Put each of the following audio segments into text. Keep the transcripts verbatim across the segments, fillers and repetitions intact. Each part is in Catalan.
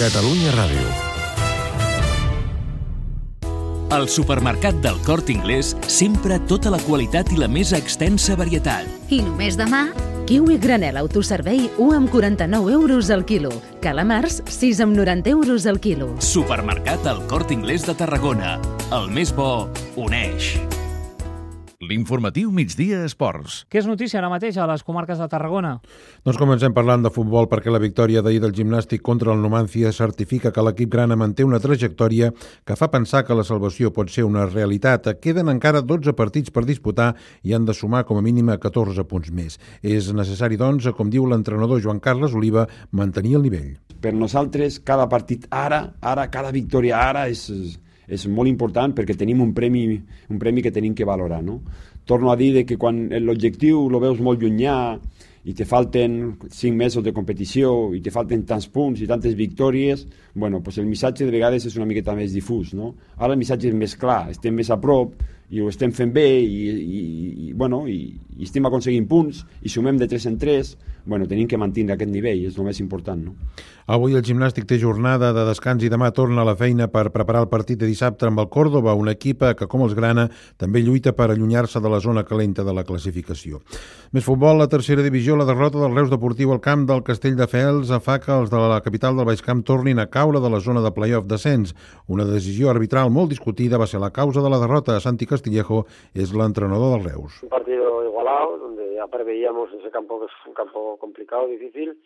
Catalunya Ràdio. Al supermercat del Corte Inglés, sempre tota la qualitat i la més extensa varietat. I només demà, kiwi granel autoservei u amb quaranta-nou euros al quilo. Calamars, sis amb noranta euros al quilo. Supermercat El Corte Inglés de Tarragona. El més bo uneix. L'informatiu Migdia Esports. Què és notícia ara mateix a les comarques de Tarragona? Doncs comencem parlant de futbol perquè la victòria d'ahir del Gimnàstic contra el Numancia certifica que l'equip grana manté una trajectòria que fa pensar que la salvació pot ser una realitat. Queden encara dotze partits per disputar i han de sumar com a mínim catorze punts més. És necessari, doncs, com diu l'entrenador Joan Carles Oliva, mantenir el nivell. Per nosaltres, cada partit ara, ara cada victòria ara és... és molt important perquè tenim un premi, un premi que tenim que valorar, no? Torno a dir que quan l'objectiu lo veus molt llunyà i te falten cinc mesos de competició i te falten tants punts i tantes victòries, bueno, pues el missatge de vegades és una miqueta més difús, no? Ara el missatge és més clar, estem més a prop i ho estem fent bé i, i, i, bueno, i, i estem aconseguint punts i sumem de tres en tres, bueno, tenim que mantenir aquest nivell, és el més important, no? Avui el Gimnàstic té jornada de descans i demà torna a la feina per preparar el partit de dissabte amb el Córdoba, un equip que, com els grana, també lluita per allunyar-se de la zona calenta de la classificació. Més futbol, la tercera divisió, la derrota del Reus Deportiu al camp del Castelldefels fa que els de la capital del Baix Camp tornin a caure de la zona de play-off descens. Una decisió arbitral molt discutida va ser la causa de la derrota. Santi Castillejo és l'entrenador del Reus. Un partido igualado, donde ya preveíamos ese campo que es un campo complicado, difícil,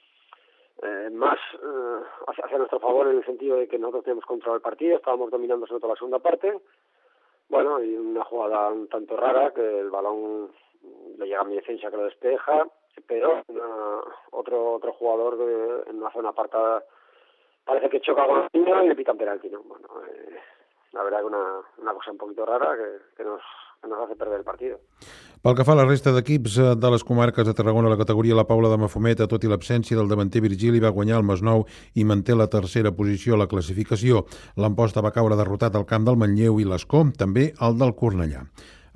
eh, más eh, hacia, hacia nuestro favor en el sentido de que nosotros tenemos control del partido, estábamos dominando sobre todo la segunda parte, bueno, y una jugada un tanto rara que el balón le llega a mi defensa que lo despeja, pero una, otro otro jugador de, en una zona apartada parece que choca con el niño y le pitan penalti, ¿no? Bueno, eh, la verdad que una, una cosa un poquito rara que, que nos que nos hace perder el partido. Pel que fa a la resta d'equips de les comarques de Tarragona, la categoria La Paula de Mafometa, tot i l'absència del davanter Virgili, va guanyar el Masnou i manté la tercera posició a la classificació. L'Amposta va caure derrotat al camp del Manlleu i l'Escó, també el del Cornellà.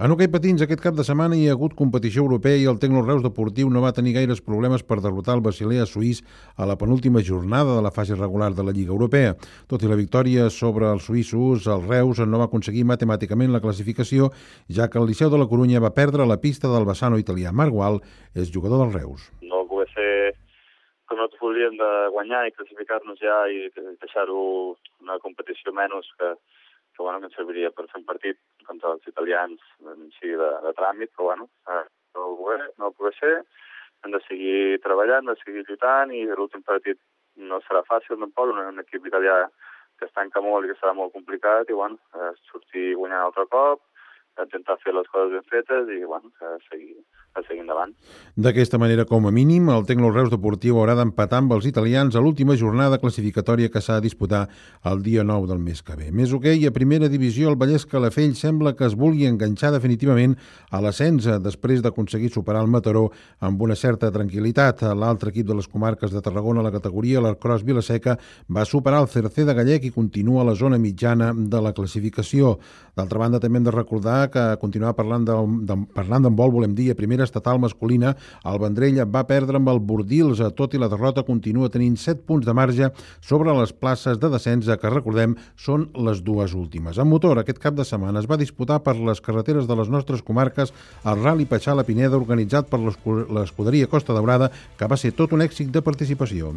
En hoquei patins, aquest cap de setmana hi ha hagut competició europea i el Tecno Reus Deportiu no va tenir gaires problemes per derrotar el Basilea suís a la penúltima jornada de la fase regular de la Lliga Europea. Tot i la victòria sobre els suïssos, el Reus no va aconseguir matemàticament la classificació, ja que el Liceu de la Corunya va perdre la pista del vessano italià. Marc Gual és jugador del Reus. No poder ser com nosaltres voldríem de guanyar i classificar-nos ja i deixar-ho una competició menys que que, bueno, que ens serviria per fer un partit contra els italians sí, de, de tràmit, però bueno, eh, no ho poder, no ho poder ser, hem de seguir treballant, hem de seguir lluitant i l'últim partit no serà fàcil tampoc, un, un equip italià que es tanca molt i que serà molt complicat i bueno, eh, sortir guanyant altre cop, intentar fer les coses ben fetes i bueno, a seguir, a seguir endavant. D'aquesta manera, com a mínim, el Tecno Reus Deportiu haurà d'empatar amb els italians a l'última jornada classificatòria que s'ha de disputar el dia nou del mes que ve. Més hoquei, a primera divisió, el Vallès Calafell sembla que es vulgui enganxar definitivament a l'ascens després d'aconseguir superar el Mataró amb una certa tranquil·litat. L'altre equip de les comarques de Tarragona, la categoria, l'Arcros Vilaseca, va superar el Cercer de Gallec i continua a la zona mitjana de la classificació. D'altra banda, també hem de recordar que continuar parlant de, de, parlant d'handbol, volem dir, a primera estatal masculina, el Vendrell va perdre amb el Bordils, tot i la derrota continua tenint set punts de marge sobre les places de descens, que recordem són les dues últimes. En motor, aquest cap de setmana es va disputar per les carreteres de les nostres comarques el Rally Patxar-la-Pineda, organitzat per l'escuderia Costa Daurada, que va ser tot un èxit de participació.